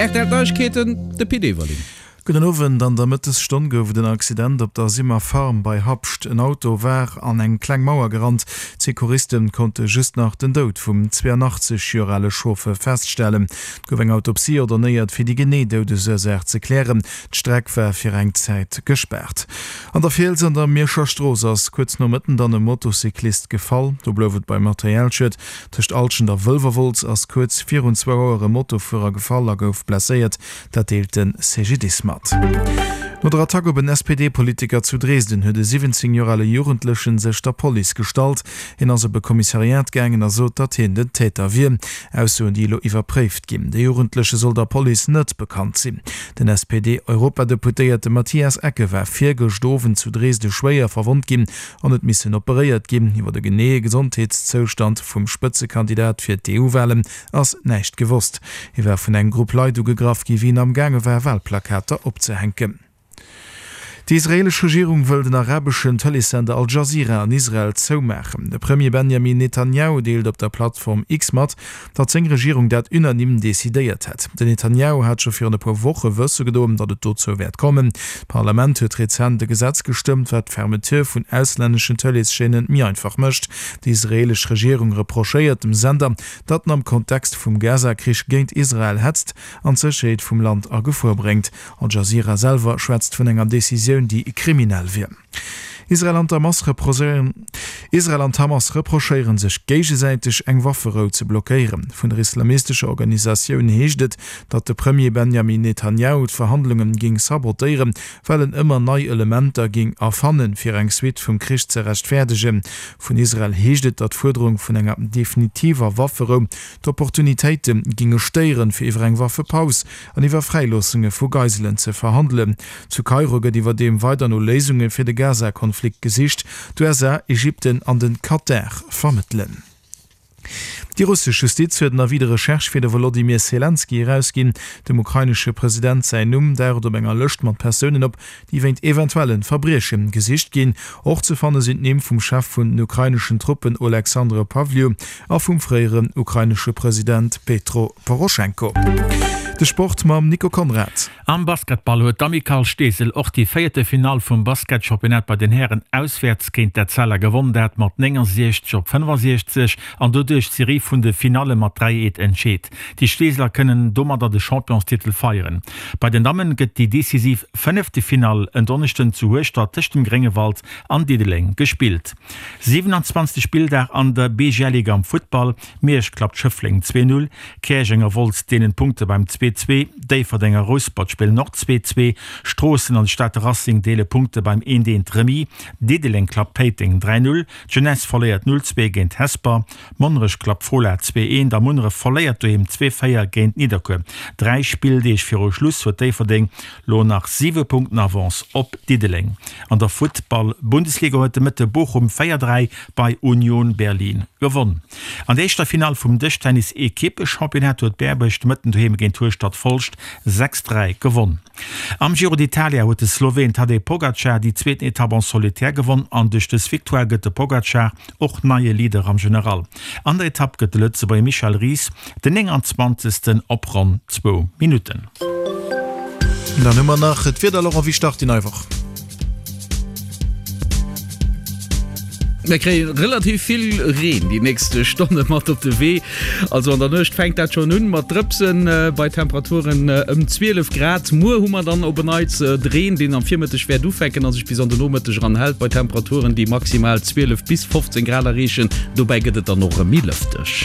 Rtl Neiegkeeten, de Pit Everling. Gudden Owend, An der Mëttesstonn gouf et en Accident op der Simmer Farm bei Habscht. En Auto war an eng kleng Mauer gerannt. D'Secouristen konnte just nach den Doud vum 82 Joer ale Chauffeur feststellen. Et gouf eng Autopsie ordonéiert, fir déi genee Doudesursaach ze klären. D'Streck war fir eng Zäit gespaart. An der Fiels an der Mierscher Strooss ass kuerz no Mëtten dann e Motocyclist gefall. Do blouf et beim Materialschued. Tëscht Alschent a Wëlwerwolz ass kuerz virun zwou Auer e Motofuerer gefall a gouf blesséiert. Dat deelt de CGDIS mat. No der Attack op en SPD-Politiker zu Dresden huet e 17 Joer ale Jugendlechen sech der Police gestallt. Hien ass op e Kommissariat gaangen a sot, datt hien den Täter wier. Aussoen, déi elo iwwerpréift ginn. De Jugendleche soll der Police net bekannt sinn. Den SPD-Europadeputéierte Matthias Ecke war virgëscht Owend zu Dresde schwéier verwonnt ginn an huet missen operéiert ginn. Iwwer de geneeë Gesondheetszoustand vum Spëtzekandidat fir d'EU-Walen ass näischt gewosst. Hie war vun engem Grupp Leit ugegraff gi wéi en am gaange war Walplakater opzehänken. Déi israeelesch Regierung wëll den arabeschen Tëleessender Al Jazeera an Israel zoumaachen. De Premier Benjamin Netanjahu deelt op der Plattform X mat, datt seng Regierung dat unanime decidéiert hätt. Den Netanjahu hat scho virun e puer Woche wësse gedoen, datt et dozou wäert kommen. D'Parlament huet rezent e Gesetz gestëmmt, wat d'Fermeture vun auslänneschen Tëleeschaînen méi einfach mécht. Déi israeelesch Regierung reprochéiert dem Sender, datt en am Kontext vum Gaza-Krich géint Israel hetzt an d'Sécherheet vum Land a Gefor bréngt. Al Jazeera selwer schwätzt vun enger Decisioun, déi kriminell wier. Israel an d'Hamas Israel an d'Hamas reprochéiere sech géigesäiteg, eng Wafferou ze blockéieren. Vun der islamistescher Organisatioun heescht et, datt de Premier Benjamin Netanjahu d'Verhandlunge géing sabotéieren, well en ëmmer nei Elementer géing erfannen, fir eng Suite vum Krich ze rechtfäerdegen. Vun Israel heescht et, datt d'Fuerderung vun enger definitiver Wafferou d'Opportunitéite géinge stéieren, fir iwwer eng Waffepaus an iwwer Fräiloossunge vu Geiselen ze verhandelen. Zu Kairo gëtt iwwerdeem weider no Léisunge fir de Gaza-Konflikt gesicht. D'USA, Ägypten an de Katar vermëttelen. Déi russesch Justiz huet en Avis de recherche fir de Wolodymyr Selenskyj erausginn. Dem ukrainesche President säin Numm daucht op enger Lëscht mat Persounen op, déi wéint eventuelle Verbrieche gesicht ginn. Och ze fanne sinn d'Nimm vum Chef vun den ukraineschen Truppen Oleksandr Pavliuk a vum fréieren ukrainesche President Petro Poroschenko. De Sport mam Nico Conrad. Am Basketball huet d'Amicale Steesel och déi véierte Finall vum Basketchampionnat bei den Hären auswäerts géint d'Etzella gewonn, dat mat 69 op 65 an doduerch d'Serie vun de Finalle mat 3 Eet entscheet. Déi Steeseler kënnen domadder de Championstitel feieren. Bei den Dammen gëtt déi decisiv fënnefte Finall en Donneschden zu Hueschtert tëscht dem Gréngewald an Diddeleng gespillt. 27. Spilldag an der BGL-Liga am Futtball, Miersch klappt Schëffleng 2, 0, Käerjeng a Wolz deelen d'Punkte beim 2, 2, Déifferdeng a Rouspert spillen och 2, 2, Stroossen an de Stater Racing deele Punkte beim 1, 1 Remis, Diddeleng klappt Péiteng 3, 0, d'Jeunesse verléiert 0, 2 géint Hesper, Monnerech klappt Fola 2, 1 a Munneref verléiert doheem 2, 4 géint Nidderkuer. Dräi Spilldeeg viru Schluss huet Déifferdeng lo nach 7 Punkten Avance op Diddeleng. An der Futtball-Bundesliga huet de Mëtte Bochum 4, 3 bei Union Berlin gewonn. An der éischter Finall vum Dëschtennis-Ekippechampionnat huet Berbuerg de Mëtten doheem géint Hueschtert Folscht 6, 3 gewonn. Am Giro d'Italia huet de Sloween Tadej Pogacar déi zweeten Etapp en solitaire gewonn an duerch dës Victoire gëtt de Pogacar och neie Leader am General. An der Etapp gëtt de Lëtzebuerger Michel Ries den 29. op ronn zwou Minutten. Dann hu mer nach d'Wieder, Laurent, wéi start déi nei Woch? Mir kréie relativ vill Reen déi nächst Stonne mat op de Wee. Also an der Nuecht fänkt dat schonn un mat Drëpsen bei Temperaturen ëm 12 Grad. Muer hu mer dann op en Neits de Reen, deen am Virmëtteg wäert ufänken a sech bis an de Nomëtteg eran hält, bei Temperaturen, déi maximal 12 bis 15 Grad erreechen. Dobäi gëtt et dann och erëm méi lëfteg.